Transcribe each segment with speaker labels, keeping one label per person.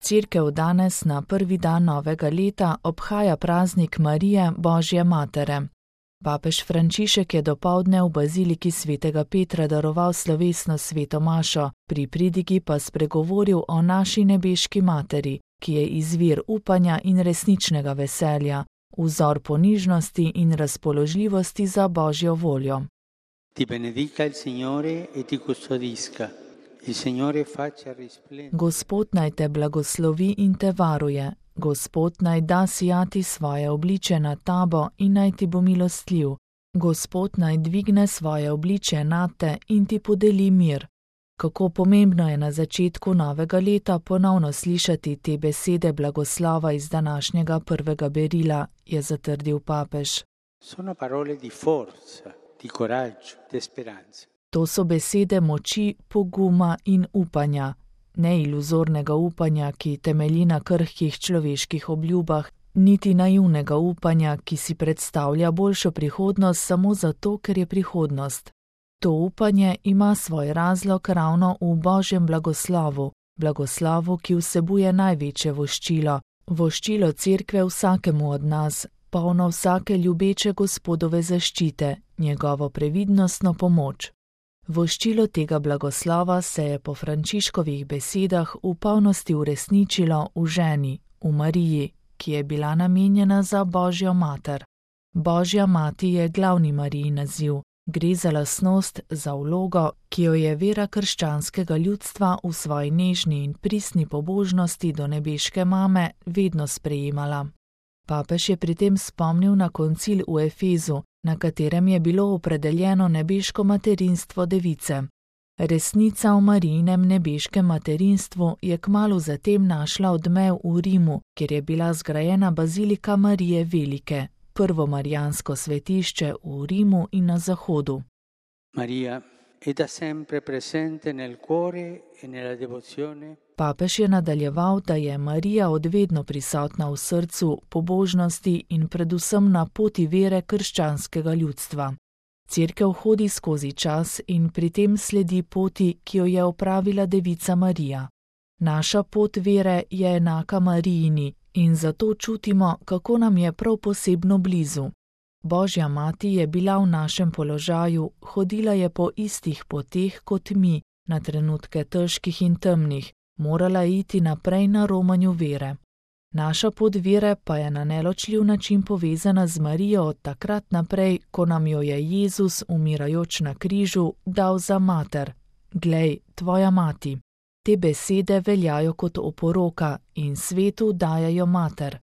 Speaker 1: Cerkev danes na prvi dan novega leta obhaja praznik Marije, Božje matere. Papež Frančišek je dopoldne v baziliki svetega Petra daroval slovesno sveto mašo, pri pridigi pa spregovoril o naši nebeški materi, ki je izvir upanja in resničnega veselja, vzor ponižnosti in razpoložljivosti za Božjo voljo.
Speaker 2: Ti benedica il Signore e ti custodisca. Il Signore faccia risplendere.
Speaker 1: Gospod naj te blagoslovi in te varuje. Gospod naj da sijati svoje obliče nad tabo in naj ti bo milostljiv. Gospod naj dvigne svoje obliče nad te in ti podeli mir. Kako pomembno je na začetku novega leta ponovno slišati te besede blagoslova iz današnjega prvega berila, je zatrdil papež.
Speaker 2: Sono parole di forza, di coraggio, di speranza.
Speaker 1: To so besede moči, poguma in upanja. Ne iluzornega upanja, ki temelji na krhkih človeških obljubah, niti naivnega upanja, ki si predstavlja boljšo prihodnost samo zato, ker je prihodnost. To upanje ima svoj razlog ravno v Božjem blagoslovu, blagoslovu, ki vsebuje največje voščilo, voščilo Cerkve vsakemu od nas, polno vsake ljubeče Gospodove zaščite, njegovo previdnostno pomoč. Voščilo tega blagoslova se je po Frančiškovih besedah v polnosti uresničilo v ženi, v Mariji, ki je bila namenjena za Božjo mater. Božja mati je glavni Marijin naziv, gre za lastnost, za vlogo, ki jo je vera krščanskega ljudstva v svoji nežni in pristni pobožnosti do nebeške mame vedno sprejemala. Papež je pri tem spomnil na koncil v Efezu, na katerem je bilo opredeljeno nebeško materinstvo device. Resnica o Marijinem nebeškem materinstvu je kmalu zatem našla odmev v Rimu, kjer je bila zgrajena bazilika Marije Velike, prvo marijansko svetišče v Rimu in na Zahodu.
Speaker 2: Maria è da sempre presente nel cuore e nella devozione.
Speaker 1: Papež je nadaljeval, da je Marija odvedno prisotna v srcu, pobožnosti in predvsem na poti vere krščanskega ljudstva. Cerkev hodi skozi čas in pri tem sledi poti, ki jo je opravila devica Marija. Naša pot vere je enaka Marijini in zato čutimo, kako nam je prav posebno blizu. Božja mati je bila v našem položaju, hodila je po istih poteh kot mi, na trenutke težkih in temnih, morala iti naprej na romanju vere. Naša pot vere pa je na neločljiv način povezana z Marijo od takrat naprej, ko nam jo je Jezus, umirajoč na križu, dal za mater. Glej, tvoja mati. Te besede veljajo kot oporoka in svetu dajajo mater.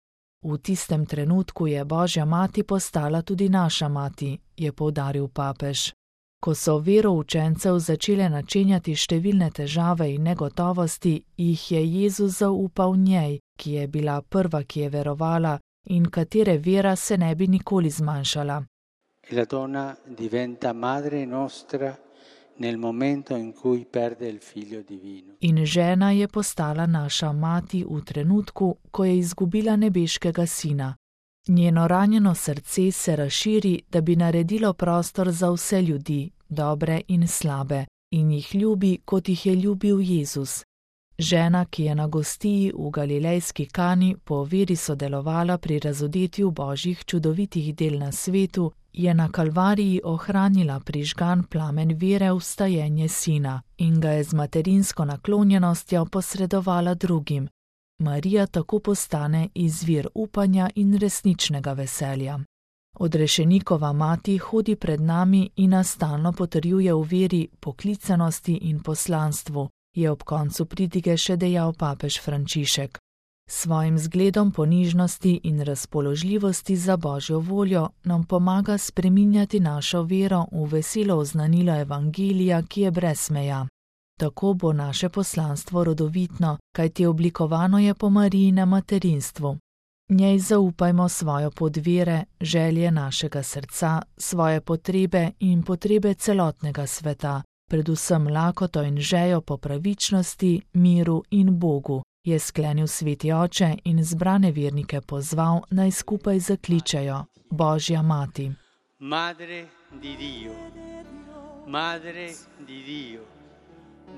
Speaker 1: V tistem trenutku je Božja mati postala tudi naša mati, je poudaril papež. Ko so vero učencev začele načenjati številne težave in negotovosti, jih je Jezus zaupal njej, ki je bila prva, ki je verovala in katere vera se ne bi nikoli zmanjšala.
Speaker 2: La donna diventa madre nostra nel momento in cui perde il figlio divino.
Speaker 1: In žena je postala naša mati v trenutku, ko je izgubila nebeškega sina. Njeno ranjeno srce se razširi, da bi naredilo prostor za vse ljudi, dobre in slabe, in jih ljubi, kot jih je ljubil Jezus. Žena, ki je na gostiji v galilejski Kani po veri sodelovala pri razodetju Božjih čudovitih del na svetu, je na Kalvariji ohranila prižgan plamen vere v vstajenje sina in ga je z materinsko naklonjenostjo posredovala drugim. Marija tako postane izvir upanja in resničnega veselja. Odrešenikova mati hodi pred nami in nas stalno potrjuje v veri, poklicanosti in poslanstvu, je ob koncu pridige še dejal papež Frančišek. Svojim zgledom ponižnosti in razpoložljivosti za Božjo voljo nam pomaga spreminjati našo vero v veselo oznanilo Evangelija, ki je brez meja. Tako bo naše poslanstvo rodovitno, kajti oblikovano je po Marijinem materinstvu. Njej zaupajmo svojo pot vere, želje našega srca, svoje potrebe in potrebe celotnega sveta, predvsem lakoto in žejo po pravičnosti, miru in Bogu, je sklenil sveti oče in zbrane vernike pozval, naj skupaj zakličejo: Božja mati.
Speaker 2: Madre di Dio, Madre di Dio,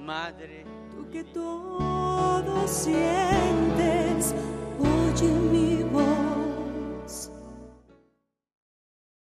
Speaker 2: Madre
Speaker 3: tu che todo